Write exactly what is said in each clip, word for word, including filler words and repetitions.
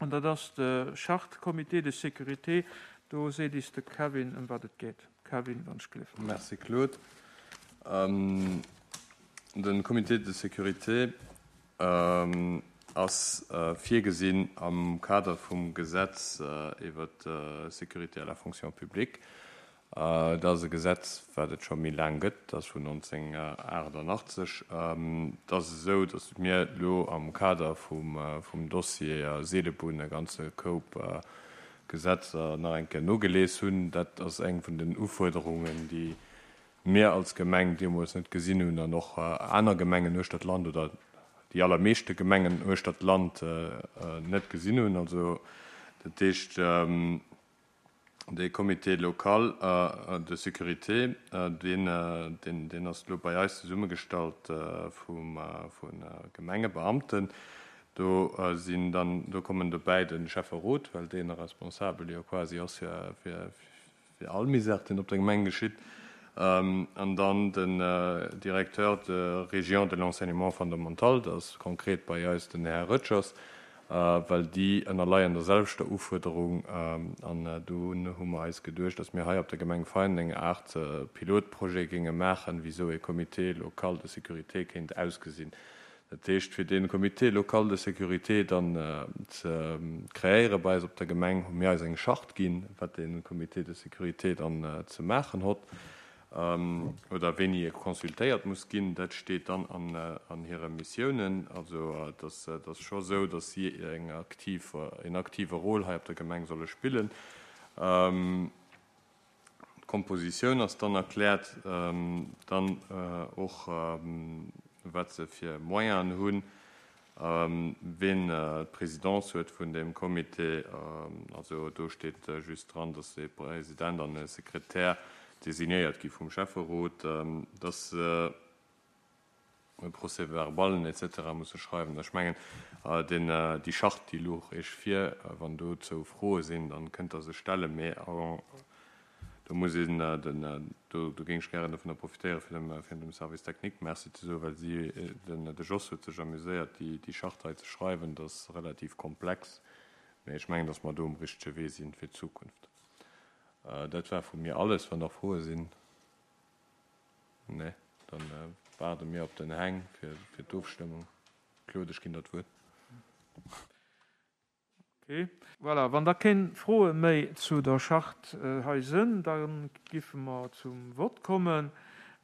An dat ass de Charte Comité de sécurité. Do seet is de Kevin, ëm wat et geet. Kevin, wann ech gelift. Merci, Claude. De Comité de sécurité ass virgesinn am Kader vum Gesetz iwwer d'Sécurité à la fonction publique. Dat ass e Gesetz, wat et scho méi laang gëtt, dat ass vun nonzénghunnertaachtenachtzeg. Et ass esou, datt mir elo am Kader vum Dossier Seelebunn e ganze Koup Gesetzer nach eng Kéier nogelies hunn. Dat ass eng vun den Ufuerderungen, déi mir als Gemeng deemools net gesinn hunn an och aner Gemengen uechter d'Land oder déi allermeeschte Gemengen uechter d'Land net gesinn hunn. Also dat heescht, de Comité local de sécurité, deen, deen, deen ass elo bei eis zesummegestallt vum, vu Gemengebeamten. Do sinn dann, do kommen dobäi de Schäfferot, well deen responsabel jo quasi ass fir, fir, fir all Misär, deen op der Gemeng geschitt, an dann den Directeur de région de l'enseignement fondamental, dat ass konkret bei eis den Här Röttgers, well déi ënnerleien der selwechter Ufuerderung. An do hu mer eis geduecht, datt mir hei op der Gemeng Veinen eng Aart Pilotprojet géinge maachen, wéi esou e Comité local de sécurité kéint ausgesinn. Dat heescht, fir dee Comité local de sécurité dann ze kreéiere bei eis op der Gemeng, hu mir eis eng Charte ginn, wat dee Comité de sécurité dann ze maachen hott oder wéini e consultéiert muss ginn. Dat steet dann an hire Missiounen. Also et ass scho esou, datt si eng aktiv, en aktive Rôle hei op der Gemeng solle spillen. D'Kompositioun ass dann erkläert, dann och wat se fir Moyenen hunn, ween d'Presidence huet vun deem Comité. Also do steet just dran, datt e President an e Sekretär designéiert gi vum Schäfferot, datt se e Procès-verballen et cetera musse schreiwen. Ech mengen, deen, déi Charte, déi louch Iech vir. Wann dozou Froe sinn, dann kënnt Der se stellen, mee do muss een den, do, do géing ech gären dovunner profitéieren, fir dem, fir dem Service technique Merci ze soen, well si, den, de Jos huet sech amuséiert, déi, déi Charte hei ze schreiwen. Dat ass relativ komplex, mee ech mengen, datt mer do um richtege Wee sinn fir d'Zukunft. Dat war vu mir alles. Wann nach Froe sinn? Nee, dann waarde mir op den Heng fir, fir d'Ofstëmmung. Claude, ech ginn der d'Wuert. Ok, voilà. Wann da keng Froe méi zu der Charte hei sënn, da giffe mer zum Vott kommen.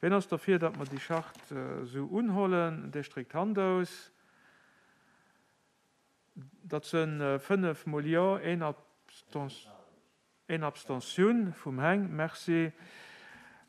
Wien ass derfir, datt mer déi Charte esou unhollen? Dee streckt d'Hand aus. Dat sënn fënnef mol Jo, een Abstentioun vum Heng. Merci.